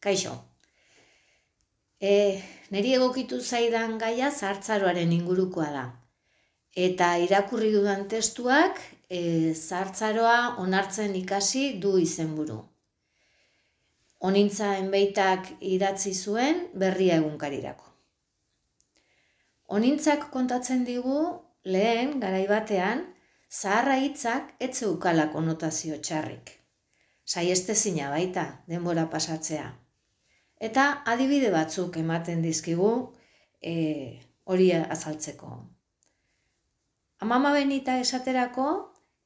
Kaixo. Niri egokitu zaidan gaia zahartzaroaren ingurukoa da. Eta irakurri dudan testuak zahartzaroa onartzen ikasi du izenburu. Honintza Enbeitak idatzi zuen Berria egunkarirako. Honintzak kontatzen digu lehen garai batean zaharra hitzak ez zeukala konotazio txarrik. Saihestezina baita denbora pasatzea. Eta adibide batzuk ematen dizkigu hori azaltzeko. Amama Benita esaterako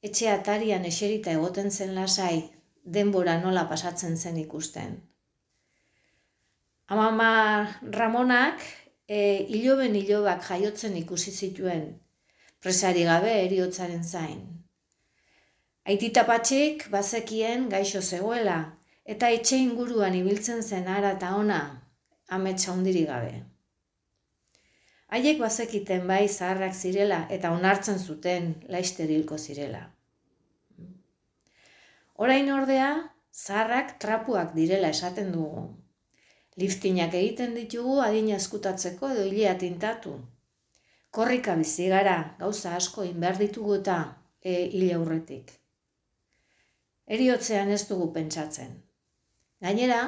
etxe atarian eserita egoten zen lasai denbora nola pasatzen zen ikusten. Amama Ramonak iloben ilobak jaiotzen ikusi zituen, presari gabe heriotzaren zain. Aitita Patxik bazekien gaixo zegoela, eta etxe inguruan ibiltzen zen ara eta ona, amets handirik gabe. Haiek bazekiten bai zaharrak zirela eta onartzen zuten laster hilko zirela. Orain ordea, zaharrak trapuak direla esaten dugu. Liftinak egiten ditugu adina eskutatzeko edo hilea tintatu. Korrika bizi gara, gauza asko inbehar ditugu eta hile aurretik. Heriotzean ez dugu pentsatzen. Gainera,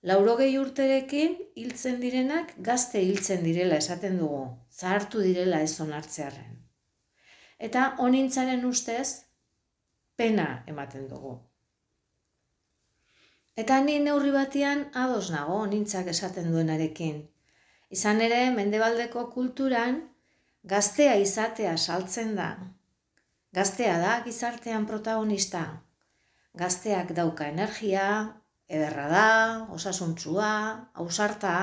80 urterekin hiltzen direnak gazte hiltzen direla esaten dugu, zahartu direla ez onartzearren. Eta honintzaren ustez, pena ematen dugu. Eta ni neurri batean ados nago honintzak esaten duenarekin. Izan ere, mendebaldeko kulturan gaztea izatea saltzen da. Gaztea da gizartean protagonista. Gazteak dauka energia, ederra da, osasuntsua, ausarta.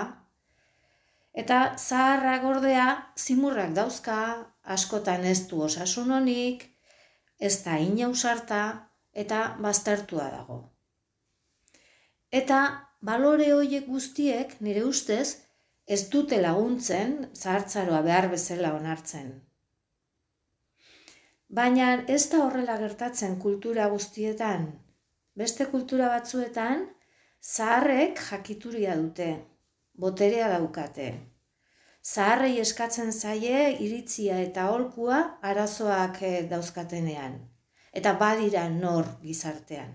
Eta zaharrak ordea zimurrak dauzka, askotan ez du osasun onik, ez da inausarta eta baztertua dago. Eta balore horiek guztiek nire ustez ez dute laguntzen zahartzaroa behar bezala onartzen. Baina ez da horrela gertatzen kultura guztietan. Beste kultura batzuetan, zaharrek jakituria dute, boterea daukate. Zaharrei eskatzen zaie iritzia eta aholkua arazoak dauzkatenean, eta badira nor gizartean.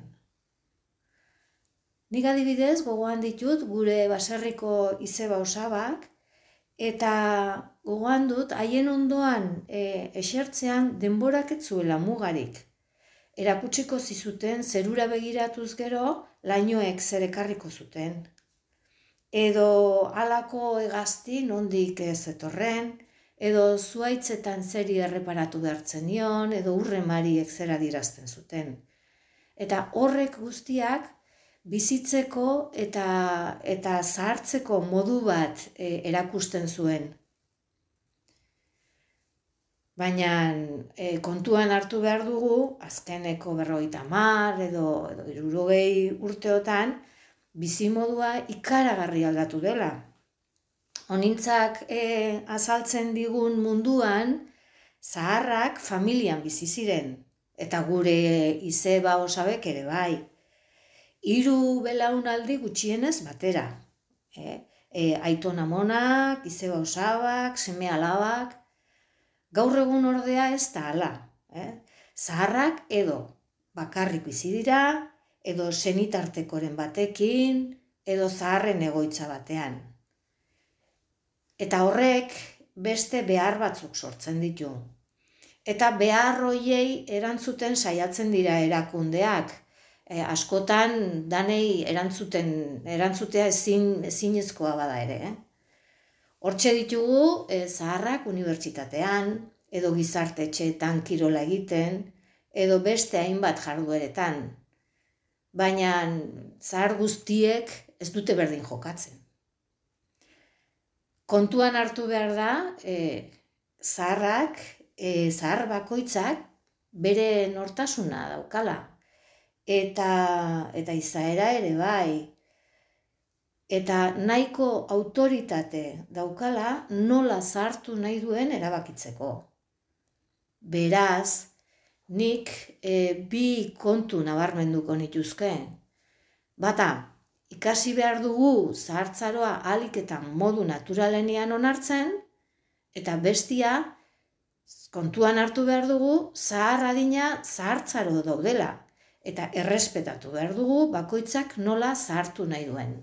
Nik adibidez gogoan ditut gure baserriko izeba osabak, eta gogoan dut haien ondoan esertzean denborak ez zuela mugarik. Erakutsiko zizuten zerura begiratuz gero lainoek zer ekarriko zuten. Edo halako hegazti nondik ez etorren, edo zuhaitzetan zeri erreparatu behartzen nion, edo urremariek zer adierazten zuten. Eta horrek guztiak bizitzeko eta zahartzeko modu bat erakusten zuen. Baina kontuan hartu behar dugu, azkeneko 50 edo 60 urteotan, bizimodua ikaragarri aldatu dela. Honintzak azaltzen digun munduan, zaharrak familian bizi ziren, eta gure izeba osabek ere bai. 3 belaunaldi gutxienez batera. Aiton amonak, izeba osabak, seme alabak. Gaur egun ordea ez da hala. Zaharrak edo bakarrik bizi dira, edo senitartekoren batekin, edo zaharren egoitza batean. Eta horrek beste behar batzuk sortzen ditu. Eta behar horiei erantzuten saiatzen dira erakundeak. Askotan danei erantzutea ezinezkoa bada ere. Hortxe ditugu zaharrak unibertsitatean, edo gizarte etxeetan kirola egiten, edo beste hainbat jardueretan. Baina zahar guztiek ez dute berdin jokatzen. Kontuan hartu behar da, zahar bakoitzak bere nortasuna daukala. Eta izaera ere bai. Eta nahiko autoritate daukala nola zahartu nahi duen erabakitzeko. Beraz, nik bi kontu nabarmenduko nituzke. Bata, ikasi behar dugu zahartzaroa ahalik eta modu naturalenean onartzen, eta bestia kontuan hartu behar dugu zahar adina zahartzaro daudela, eta errespetatu behar dugu bakoitzak nola zahartu nahi duen.